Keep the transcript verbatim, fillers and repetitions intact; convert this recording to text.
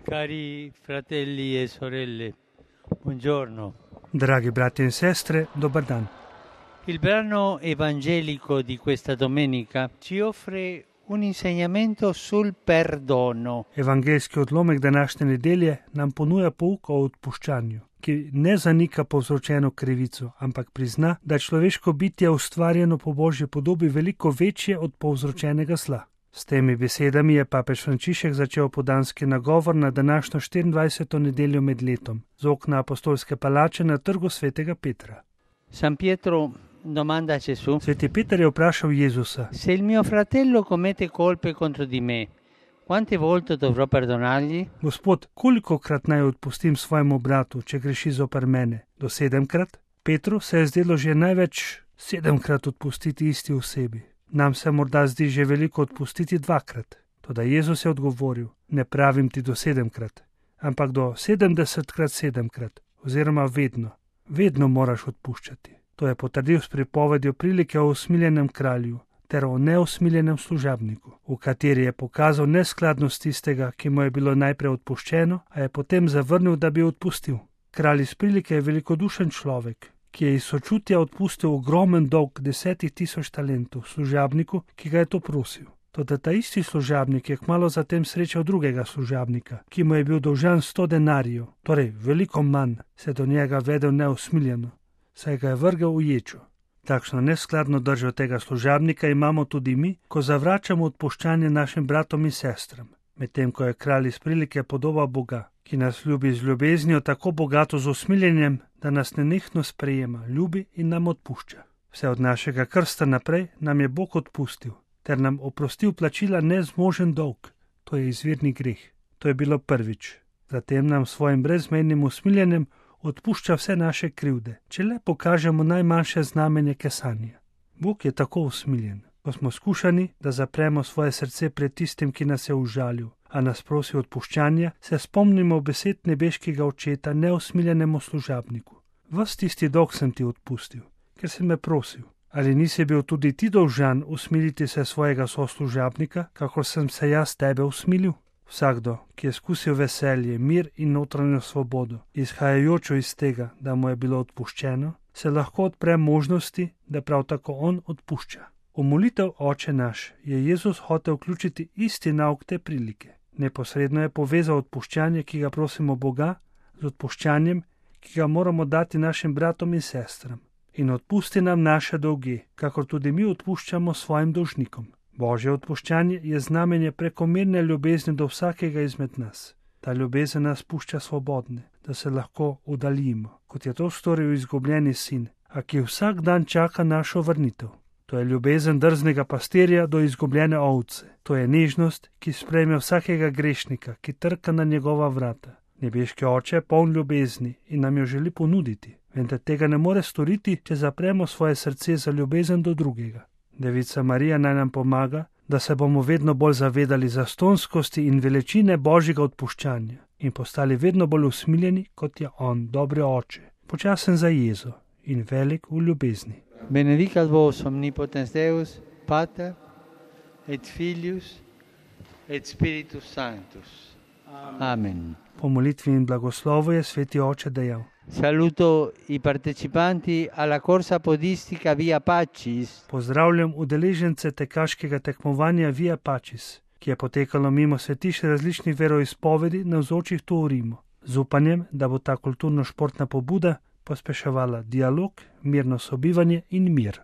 Cari fratelli e sorelle, buongiorno. Dragi brati e sestre, dobar dan. Il brano evangelico di questa domenica ci offre un insegnamento sul perdono. Evangelski odlomek današnje nedelje nam ponuja pouk o odpuščanju, ki ne zanika povzročeno krivico, ampak prizna, da je človeško bitje ustvarjeno po Božji podobi veliko večje od povzročenega zla. S temi besedami je papež Frančišek začel podanski nagovor na današnjo štiriindvajseto nedeljo med letom, z okna apostolske palače na trgu svetega Petra. San Pietro domanda a Gesù: Sveti Peter je vprašal Jezusa: Se il mio fratello commette colpe contro di me, quante volte dovrò perdonargli? Gospod, kolikokrat naj odpustim svojemu bratu, če greši zoper mene? Do sedemkrat? Petru se je zdelo že največ sedemkrat odpustiti isti osebi. Nam se morda zdi že veliko odpustiti dvakrat. Toda Jezus je odgovoril: ne pravim ti do sedemkrat, ampak do sedemdesetkrat sedemkrat, oziroma vedno, vedno moraš odpuščati. To je potrdil s pripovedjo prilike o usmiljenem kralju ter o neusmiljenem služabniku, v kateri je pokazal neskladnost tistega, ki mu je bilo najprej odpuščeno, a je potem zavrnil, da bi odpustil. Kralj iz prilike je velikodušen človek, ki je iz sočutja odpustil ogromen dolg desetih tisoč talentov služabniku, ki ga je to prosil. Toda ta isti služabnik je kmalu zatem srečal drugega služabnika, ki mu je bil dolžan sto denarjev, torej veliko manj, se do njega vedel neusmiljeno, saj ga je vrgel v ječo. Takšno neskladno držo tega služabnika imamo tudi mi, ko zavračamo odpuščanje našim bratom in sestram, medtem ko je kralj iz prilike podoba Boga, ki nas ljubi z ljubeznijo tako bogato z usmiljenjem, da nas nenehno sprejema, ljubi in nam odpušča. Vse od našega krsta naprej nam je Bog odpustil, ter nam oprostil plačila nezmožen dolg, to je izvirni greh. To je bilo prvič. Zatem nam svojim brezmejnim usmiljenjem odpušča vse naše krivde, če le pokažemo najmanjše znamenje kesanja. Bog je tako usmiljen, ko smo skušani, da zapremo svoje srce pred tistim, ki nas je užalil, a nas prosi odpuščanja, se spomnimo besed nebeškega očeta neusmiljenemu služabniku. Ves tisti dolg sem ti odpustil, ker si me prosil. Ali nisi bil tudi ti dolžan usmiliti se svojega soslužabnika, kakor sem se jaz tebe usmilil? Vsakdo, ki je skusil veselje, mir in notranjo svobodo, izhajajočo iz tega, da mu je bilo odpuščeno, se lahko odpre možnosti, da prav tako on odpušča. V molitev Oče naš je Jezus hotel vključiti isti nauk te prilike. Neposredno je povezal odpuščanje, ki ga prosimo Boga, z odpuščanjem, ki ga moramo dati našim bratom in sestram. In odpusti nam naše dolge, kakor tudi mi odpuščamo svojim dolžnikom. Božje odpuščanje je znamenje prekomerne ljubezni do vsakega izmed nas. Ta ljubezen nas pušča svobodne, da se lahko uddaljimo, kot je to storil izgubljeni sin, a ki vsak dan čaka našo vrnitev. To je ljubezen drznega pastirja do izgubljene ovce. To je nežnost, ki sprejme vsakega grešnika, ki trka na njegova vrata. Nebeški Oče je poln ljubezni in nam jo želi ponuditi, vendar tega ne more storiti, če zapremo svoje srce za ljubezen do drugega. Devica Marija naj nam pomaga, da se bomo vedno bolj zavedali zastonskosti in veličine Božjega odpuščanja in postali vedno bolj usmiljeni, kot je on, dobri Oče, počasen za jezo in velik v ljubezni. Benedicat vos omnipotens Deus, Pater et Filius et Spiritus Sanctus. Amen. Po molitvi in blagoslovu je Sveti Oče dejal: Saluto i partecipanti alla corsa podistica Via Pacis. Pozdravljam udeležence tekaškega tekmovanja Via Pacis, ki je potekalo mimo svetišč različnih veroizpovedi navzočih tu v Rimu, z upanjem, da bo ta kulturno-športna pobuda pospeševala dialog, mirno sobivanje in mir.